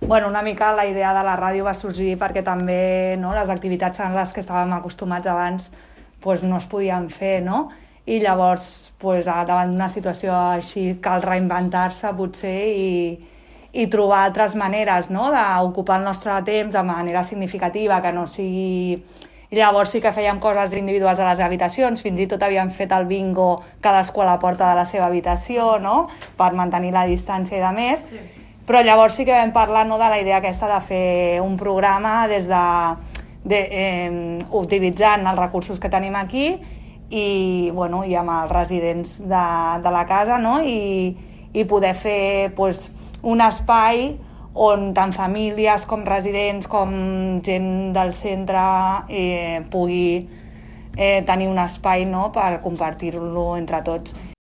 Bueno, una mica la idea de la ràdio va sorgir perquè també les activitats en les que estàvem acostumats abans no es podien fer, no? I llavors, davant d'una situació així, cal reinventar-se potser i trobar altres maneres d'ocupar el nostre temps de manera significativa, que no sigui... I llavors sí que fèiem coses individuals a les habitacions, fins i tot havíem fet el bingo cadascú a la porta de la seva habitació, no? Per mantenir la distància i de més. Sí. Però llavors sí que vam parlar de la idea aquesta de fer un programa utilitzant els recursos que tenim aquí i amb els residents de la casa, no? I poder fer un espai on tant famílies com residents com gent del centre pugui tenir un espai per compartir-lo entre tots.